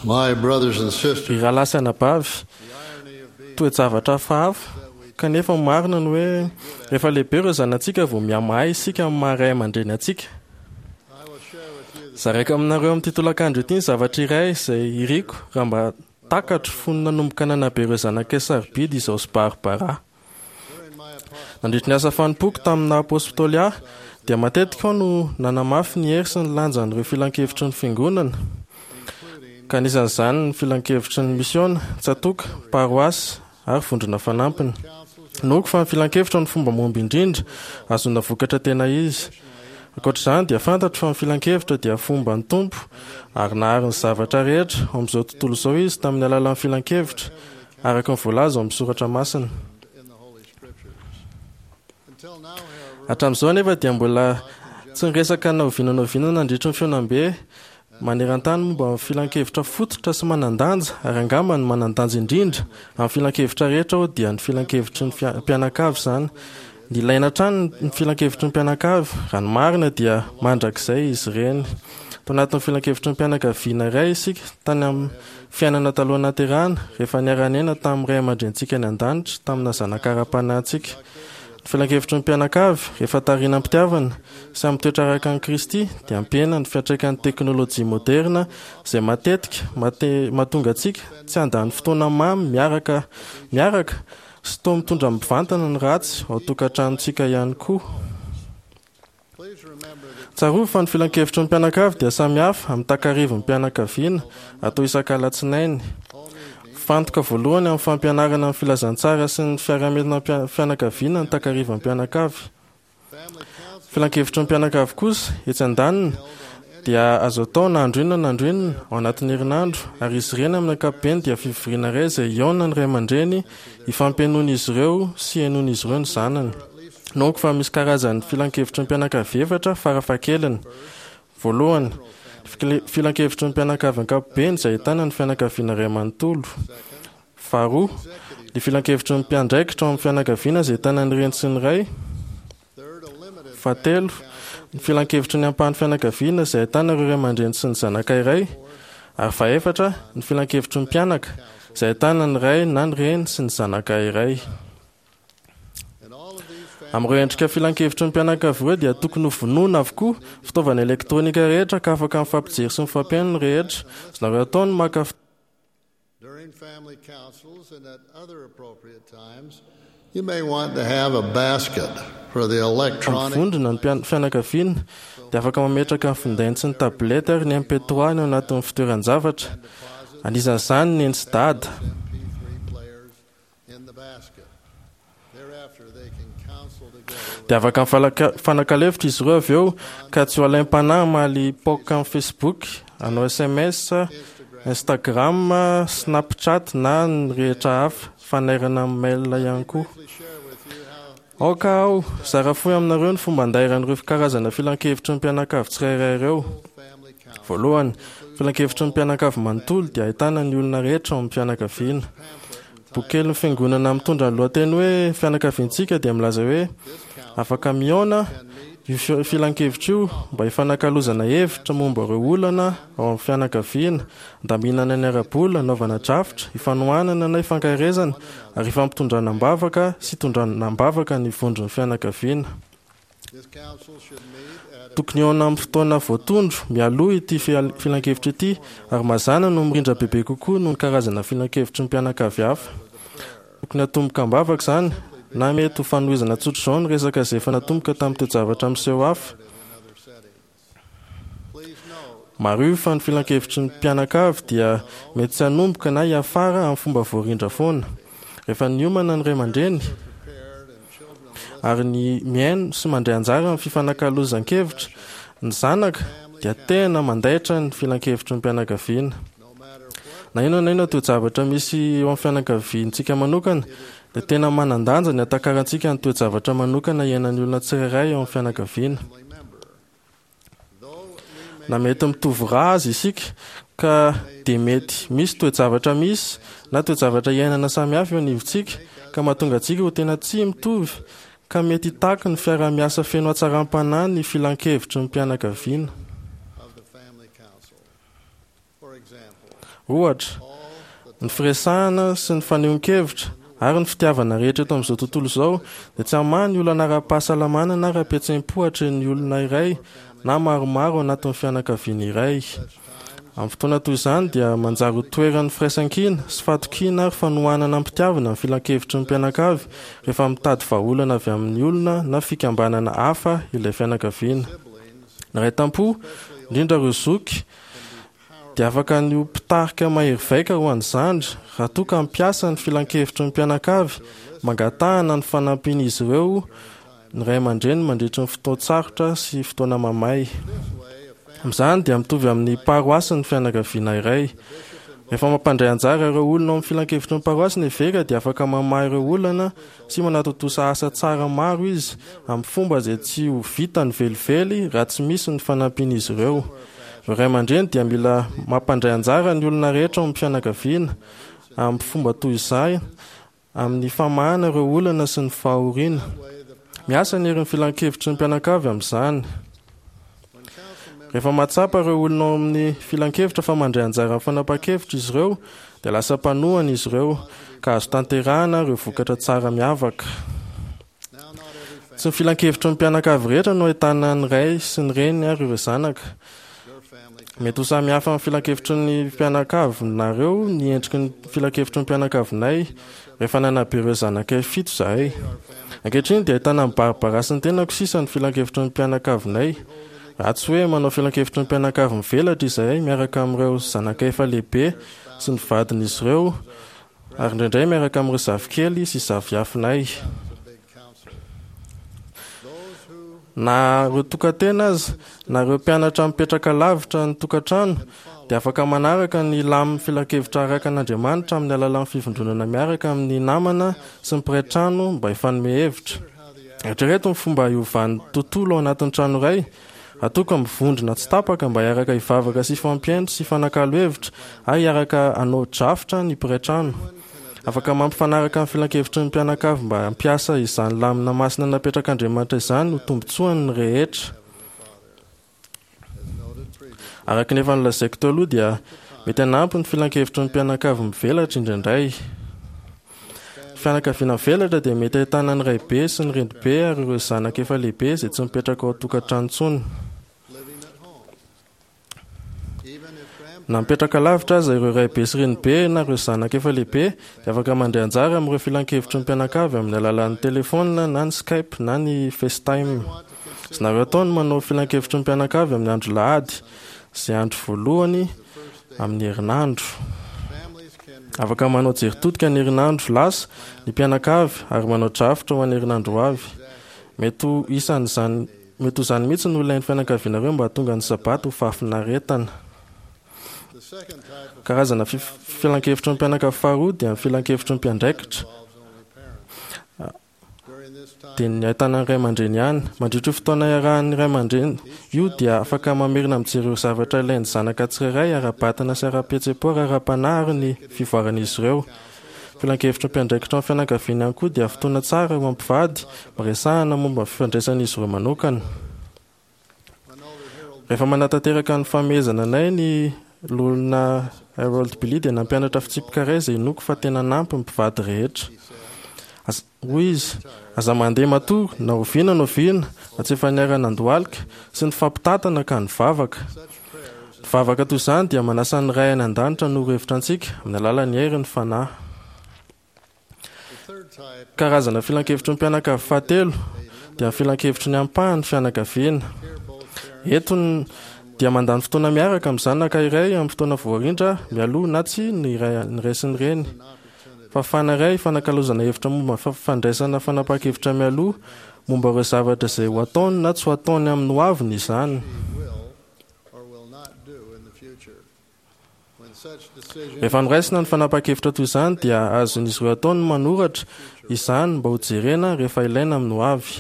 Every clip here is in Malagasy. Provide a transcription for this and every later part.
My brothers and sisters, Ry rahalahy sy anabavy, toe-javatra hafahafa, kanefa marina ny hoe rehefa lehibe ireo zanatsika vao mihamahay isika amin'ny maha ray aman-dreny antsika. I will share with you the Zaraiko aminareo amin'ity tolakandro ity ny zavatra iray izay iriko raha mba takatro fony nanomboka nanabe ireo zanakay sarobidy izao sy Barbara. during my apostle Nandritry ny asa fanompoako tamin'ny apostoly ahy dia matetika aho no nanamafy ny hery sy ny lanjan'ireo filankevitry ny fiangonana, ka anisan'izany ny filankevitry ny misiona, tsatoka, paroasy ary vondrona fanampiny. Inoako fa ny filankevitra no fomba mahomby indrindra ahazoana vokatra tena izy. Ankoatr'izany dia fantatro fa ny filankevitra dia fomban'ny Tompo ary nahary ny zavatra rehetra ao amin'izao tontolo izao izy tamin'ny alalan'ny filankevitra araka ny voalaza ao amin'ny soratra masina. in the Holy Scriptures. Until now, however, Hatramin'izao anefa dia mbola tsy niresaka na oviana na oviana nandritry ny fihaonambe maneran-tany momba ny filankevitra fototra sy manan-danja ary angamba ny manan-danja indrindra amin'ny filankevitra rehetra aho dia ny filankevitry ny mpianakavy izany. Nilaina hatrany ny filankevitry ny mpianakavy, raha ny marina dia mandrakizay izy ireny. Tao anatin'ny filankevitry ny mpianakaviana iray isika tany amin'ny fiainana taloha naterahana rehefa niara-niaina tamin'ny ray aman-drenintsika any an-danitra tamina zanaka ara-panahintsika. Ny filankevitry ny mpianakavy rehefa tarihina am-pitiavana sy amin'ny toetra araka an'i Kristy dia hampihena ny fiantraikan'ny teknôlôjia moderna izay matetika mate- mahatonga antsika tsy handany fotoana mamy miaraka miaraka sy toa mitondra mivantana ny ratsy ao an-tokantranontsika ihany koa. please remember that Tsarovy fa ny filankevitry ny mpianakavy dia samy hafa amin'ny takarivin'ny mpianakaviana atao isak'alatsinainy. Fantoka voalohany amin'ny fampianarana ny filazantsara sy ny fiarahamelona fianakaviana ny takarivan'ny mpianakavy. family council Filankevitry ny mpianakavy kosa etsy andaniny dia azo atao na andro inona na andro inona ao anatin'ny herinandro ary izy ireny amin'ny ankapobeny dia fivoriana iray izay hihaona ny ray aman-dreny hifampihainoan'izy ireo sy hihainoan'izy ireo ny zanany. Inoako fa misy karazan'ny filankevitry ny mpianakavy efatra farafahakeliny. Voalohany, ny filankevitry ny mpianakavy ankapobeny izay ahitana ny fianakaviana iray manontolo. Faharoa, ny filankevitry ny mpiandraikitra ao amin'ny fianakaviana izay ahitana ny reny sy ny ray. third, a limited Fahatelo, ny filankevitry ny ampahan'ny fianakaviana izay ahitana ireo ray aman-dreny sy ny zanaka iray. Ary fahefatra, ny filankevitry ny mpianaka izay ahitana ny ray na ny reny sy ny zanaka iray. in all of these family Amin'ireo endrika filankevitry ny mpianakavy ireo dia tokony ho vonona avokoa fitaovana elektronika rehetra ka afaka mifampijery sy mifampihaino ny rehetra. Azonareo atao ny maka during family councils and at other appropriate times, you may want to have a basket for the electronic vondrona ny fianakaviana dia afaka mametraka ny findainy sy ny tablette ary ny MP3 ny ao anatin'ny fitoeran-javatra. Anisan'izany ny neny sy dada. MP3 players in the basket. Thereafter, they can counsel together Dia afaka mifanakalo hevitra izy ireo avy eo ka tsy ho alaim-panahy hamaly poka amin'ny Facebook, hanao SMS, Instagram, Snapchat na ny rehetra hafa, fanairana amin'ny mail ihany koa. briefly share with you how Aoka aho zara fohy aminareo ny fomba andairan'ireo karazana filankevitry ny mpianakavy tsirairay ireo. family council Voalohany, filankevitry ny mpianakavy manontolo dia ahitana ny olona rehetra ao amin'ny fianakaviana. Boky kelin'ny fiangonana mitondra ny lohateny hoe fianakaviantsika dia milaza hoe afaka mihaona io filankevitra io mba hifanakalozana hevitra momba ireo olana ao amin'ny fianakaviana, andaminana ny ara-bola, anaovana drafitra, ifanohanana na ifankaherezana ary ifampitondrana am-bavaka sy itondrana am-bavaka ny vondron'ny fianakaviana. this council should meet at a Tokony hihaona amin'ny fotoana voatondro mialoha ity filankevitra ity ary mazàna no mirindra bebe kokoa noho ny karazana filankevitry ny mpianakavy hafa. Tokony hatomboka am-bavaka izany na mety ho fanohizana tsotra izao ny resaka izay efa natomboka tamin'ny toe-javatra miseho hafa. in other settings. Please note Mariho fa ny filankevitry ny mpianakavy dia mety tsy hanomboka na hiafara amin'ny fomba voarindra foana. Rehefa niomana ny ray aman-dreny prepared and children listen ary ny mihaino sy mandray anjara amin'ny fifanakalozan-kevitra, ny zanaka dia tena mandaitra ny filankevitry ny mpianakaviana. no matter what Na inona na inona toe-javatra misy eo amin'ny fianakaviantsika manokana, dia tena manan-danja ny hatakarantsika ny toe-javatra manokana iainan'ny olona tsirairay eo amin'ny fianakaviana. family member. Though we may Na mety mitovy ra aza isika ka dia mety misy toe-javatra misy na toe-javatra iainana samihafa eo anivontsika ka mahatonga antsika ho tena tsy mitovy ka mety hitaky ny fiaraha-miasa feno hatsaram-panahy ny filankevitry ny mpianakaviana. of the family council. Ohatra, ny firesahana sy ny fanehoan-kevitra ary ny fitiavana rehetra eto amin'izao tontolo izao dia tsy hamaha ny olana ara-pahasalamana na ara-pihetseham-po atrehin'ny olona iray na maromaro ao anatin'ny fianakaviana iray. Amin'ny fotoana toy izany dia manjary ho toeran'ny firaisankina sy fahatokiana ary fanohanana am-pitiavana ny filankevitry ny mpianakavy rehefa mitady vahaolana avy amin'ny olona na fikambanana hafa ilay fianakaviana. Ny ray tam-po, indrindra ireo zoky, dia afaka ny ho mpitarika mahery vaika ho an'ny zandry raha toa ka hampiasa ny filankevitry ny mpianakavy mangatahana ny fanampian'izy ireo ny ray aman-dreny mandritry ny fotoan-tsarotra sy fotoana mamay. Amin'izany dia mitovy amin'ny paroasy ny fianakaviana iray. Rehefa mampandray anjara ireo olona ao amin'ny filankevitry ny paroasy ny eveka dia afaka mamaha ireo olana sy manatontosa asa tsara maro izy amin'ny fomba izay tsy ho vitany velively raha tsy misy ny fanampian'izy ireo. Ireo ray aman-dreny dia mila mampandray anjara ny olona rehetra ao amin'ny fianakaviana amin'ny fomba toy izay amin'ny famahana ireo olana sy ny fahoriana. Miasa ny herin'ny filankevitry ny mpianakavy amin'izany. Rehefa mahatsapa ireo olona ao amin'ny filankevitra fa mandray anjara amin'ny fanapahan-kevitra izy ireo, dia lasa mpanohana izy ireo, ka azo tanterahana ireo vokatra tsara miavaka. Tsy ny filankevitry ny mpianakavy rehetra no ahitana ny ray sy ny reny ary ireo zanaka. Mety ho samy hafa amin'ny filankevitry ny mpianakavinareo ny endriky ny filankevitry ny mpianakavinay rehefa nanabe ireo zanakay fito izahay. Ankehitriny dia ahitana an'i Barbara sy ny tenako sisa ny filankevitry ny mpianakavinay. Raha tsy hoe manao filankevitry ny mpianakavy mivelatra izahay miaraka amin'ireo zanakay efa lehibe sy ny vadin'izy ireo ary indraindray miaraka amin'ireo zafikely sy zafiafinay. Na ireo tokan-tena aza, na ireo mpianatra mipetraka lavitra ny tokantrano, dia afaka manaraka ny lamin'ny filankevitra araka an'Andriamanitra amin'ny alalan'ny fivondronana miaraka amin'ny namana sy ny mpiray trano mba hifanome hevitra. Eritrereto ny fomba hiovan'ny tontolo ao anatin'ny trano iray, raha toa ka mivondrona tsy tapaka mba hiaraka hivavaka sy hifampihaino sy hifanakalo hevitra ary hiaraka hanao drafitra ny mpiray trano. Afaka mampifanaraka ny filankevitry ny mpianakavy mba hampiasa izany lamina masina napetrak'Andriamanitra izany ho tombontsoany ny rehetra. Araka ny efa nolazaiko teo aloha dia mety hanampy ny filankevitry ny mpianakavy mivelatra indraindray. Ny fianakaviana mivelatra dia mety ahitana ny raibe sy ny renibe ary ireo zanaka efa lehibe izay tsy mipetraka ao an-tokantrano intsony. Na mipetraka lavitra aza ireo raibe sy renibe na ireo zanaka efa lehibe dia afaka mandray anjara amin'ireo filankevitry ny mpianakavy amin'ny alalan'ny telefaonina na ny Skype na ny FaceTime. Azonareo atao ny manao filankevitry ny mpianakavy amin'ny andro lahady, izay andro voalohany amin'ny herinandro. Afaka manao jery todika ny herinandro lasa ny mpianakavy ary manao drafitra ho an'ny herinandro ho avy. Mety ho isan'izany Mety ho izany mihitsy no ilain'ny fianakavianareo mba hahatonga ny Sabata ho fahafinaretana. Karazana filankevitry ny mpianakavy faharoa dia ny filankevitry ny mpiandraikitra, dia ny ahitana ny ray aman-dreny ihany. Mandritra io fotoana iarahan'ny ray aman-dreny io dia afaka mamerina mijery ireo zavatra ilain'ny zanaka tsirairay ara-batana sy ara-pihetseham-po ary ara-panahy ary ny fivoaran'izy ireo. Filankevitry ny mpiandraikitra ny fianakaviana ihany koa dia fotoana tsara ho mpivady miresahana momba ny fifandraisan'izy ireo manokana. Rehefa manatanteraka ny famehezana anay ny Loholona Harold Billy dia nampianatra fitsipika iray izay inoako fa tena hanampy ny mpivady rehetra. Hoy izy, Aza mandeha matory na oviana na oviana raha tsy efa niara-nandohalika sy nifampitantana ka nivavaka. Ny vavaka toy izany dia manasa ny Ray any An-danitra hanoro hevitra antsika amin'ny alalan'ny herin'ny Fanahy. Karazana filankevitry ny mpianakavy fahatelo dia ny filankevitry ny ampahan'ny fianakaviana. Eto ny dia mandany fotoana miaraka amin'ny zanaka iray amin'ny fotoana voarindra mialoha na tsia ny ray sy ny reny. Fahafahana iray hifanakalozana hevitra momba ny fandraisana fanapahan-kevitra mialoha momba ireo zavatra izay ho ataony na tsy ho ataony amin'ny hoaviny izany. Rehefa noraisina ny fanapahan-kevitra toy izany dia azon'izy ireo atao ny manoratra izany mba hojerena rehefa ilaina amin'ny hoavy.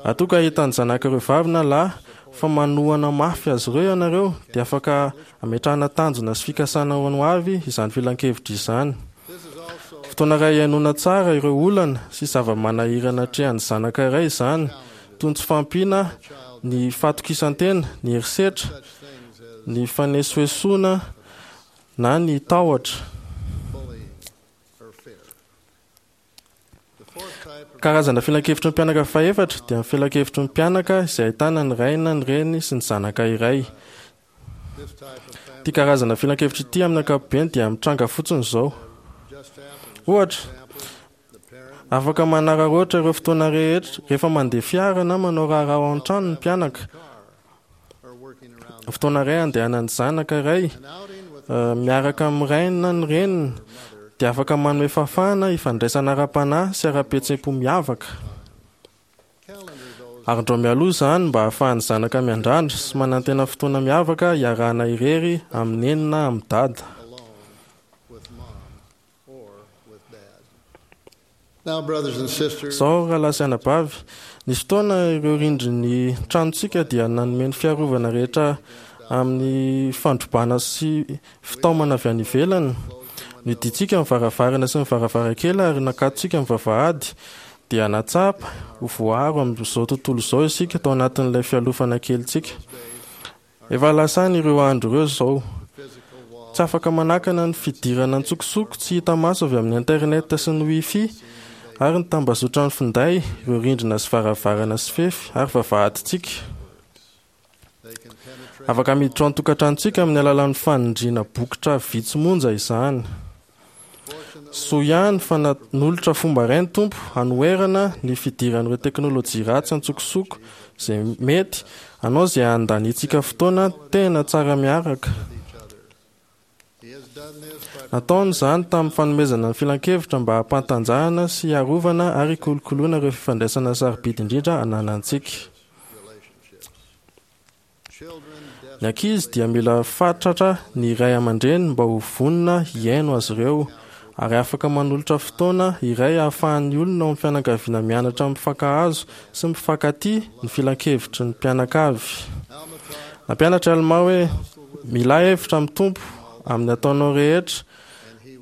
Raha toa ka hitan'ny zanak'ireo vavy na lahy fa manohana mafy azy ireo ianareo dia afaka Ametrahana tanjona sy fikasana ho an'ny hoavy izany filankevitra izany. Fotoana iray hihainoana tsara ireo olana sy zava-manahirana atrehan'ny zanaka iray izany, toy ny tsy fahampiana ny fahatokisan-tena, ny herisetra, ny fanesoesoana. na ny tahotra. Karazana filankevitry ny mpianaka fahefatra dia ny filankevitry ny mpianaka izay ahitana ny ray na ny reny sy ny zanaka iray. Ity karazana filankevitra ity amin'ny ankapobeny dia mitranga fotsiny izao. Ohatra, afaka manararaotra ireo fotoana rehetra rehefa mandeha fiara na manao raharaha ao an-trano ny mpianaka. Fotoana iray andehanan'ny zanaka iray miaraka amin'ny rainy na ny reniny dia afaka manome fahafahana hifandraisana ara-panahy sy ara-pihetseham-po miavaka. Arindrao mialoha izany mba hahafahan'ny zanaka miandrandra sy manantena fotoana miavaka hiarahana irery amin'ny neny na amin'ny dada. Izao, rahalahy sy anabavy, nisy fotoana ireo rindrin'ny tranontsika dia nanome ny fiarovana rehetra amin'ny fandrobana sy fitaomana avy any ivelany. Nidintsika ny varavarana sy ny varavarankely ary nakatontsika ny vavahady, dia nahatsapa ho voaaro amin'izao tontolo izao isika tao anatin'ilay fialofana kelintsika. Efa lasa any ireo andro ireo izao. Tsy afaka manakana ny fidirana an-tsokosoko tsy hita maso avy amin'ny internet sy ny Wi-Fi ary ny tambazotran'ny finday ireo rindrina sy varavarana sy fefy ary vavahadintsika. Afaka miditra ao an-tokantranontsika amin'ny alalan'ny fanindriana bokotra vitsy monja izany. Soa ihany fa nanolotra fomba iray ny Tompo hanoherana ny fidiran'ireo teknolojia ratsy an-tsokosoko izay mety hanao izay handaniantsika fotoana tena tsara miaraka. Nataony izany tamin'ny fanomezana ny filankevitra mba hampantanjahana sy hiarovana ary hikolokoloana ireo fifandraisana sarobidy indrindra ananantsika. Ny ankizy dia mila fatratra ny ray aman-dreny mba ho vonona hihaino azy ireo, ary afaka manolotra fotoana iray ahafahan'ny olona ao amin'ny fianakaviana mianatra mifankahazo sy mifankatia ny filankevitry ny mpianakavy. Nampianatra i Almà hoe, Milà hevitra amin'ny Tompo amin'ny ataonao rehetra,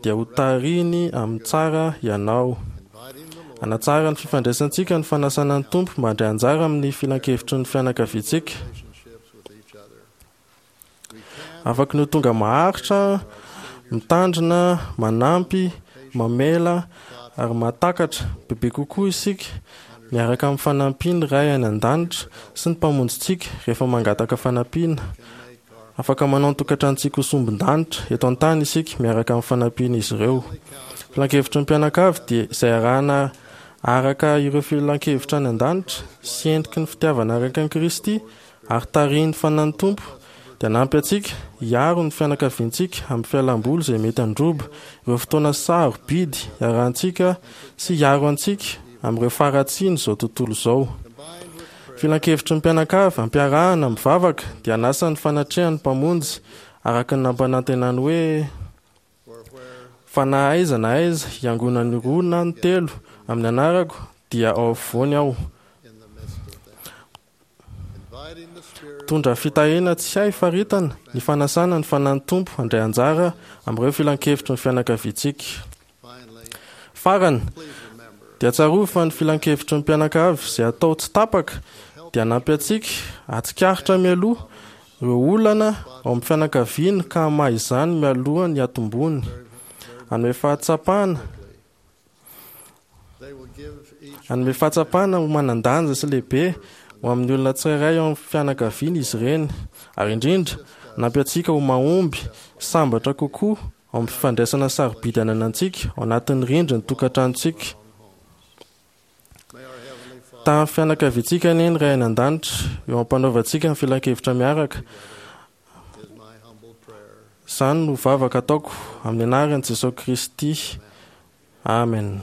dia hotarihiny amin'ny tsara ianao. Hanatsara ny fifandraisantsika ny fanasana ny Tompo mba handray anjara amin'ny filankevitry ny fianakaviantsika. Afaky ny ho tonga maharitra, mitandrina, manampy, mamela ary mahatakatra bebe kokoa isika miaraka amin'ny fanampian'ny Ray any An-danitra sy ny Mpamonjintsika rehefa mangataka fanampiana. Afaka manao ny tokantranontsika ho sombin-danitra eto an-tany isika miaraka amin'ny fanampian'izy ireo. Filankevitry ny mpianakavy dia izay arahana araka ireo filankevitra any an-danitra sy endriky ny fitiavana araka an'i Kristy ary tarihin'ny Fanahin'ny Tompo dia hanampy antsika hiaro ny fianakaviantsika amin'ny fialam-boly izay mety handroba ireo fotoana sarobidy iarahantsika sy hiaro antsika amin'ireo faharatsian'izao tontolo izao. Filankevitry ny mpianakavy ampiarahana mivavaka dia hanasa ny fanatrehan'ny Mpamonjy araka ny nampanantenany hoe, Fa na aiza na aiza hiangonan'ny roa na ny telo amin'ny anarako dia ao afovoany Aho. Mitondra fitahiana tsy hay faritana ny fanasana ny Fanahin'ny Tompo handray anjara amin'ireo filankevitry ny fianakaviantsika. Farany, dia tsarovy fa ny filankevitry ny mpianakavy izay atao tsy tapaka dia hanampy antsika hahatsikaritra mialoha ireo olana ao amin'ny fianakaviana ka hamaha izany mialoha ny hatombony. Hanome fahatsapana Hanome fahatsapana ho manan-danja sy lehibe ho amin'ny olona tsirairay ao amin'ny fianakaviana izy ireny, ary indrindra, hanampy antsika ho mahomby sy sambatra kokoa ao amin'ny fifandraisana sarobidy ananantsika ao anatin'ny rindrin'ny tokantranontsika. Tamin'ny fianakaviantsika anie ny Ray any An-danitra, eo am-panaovantsika ny filankevitra miaraka. Izany no vavaka ataoko amin'ny anaran'i Jesoa Kristy. Amen.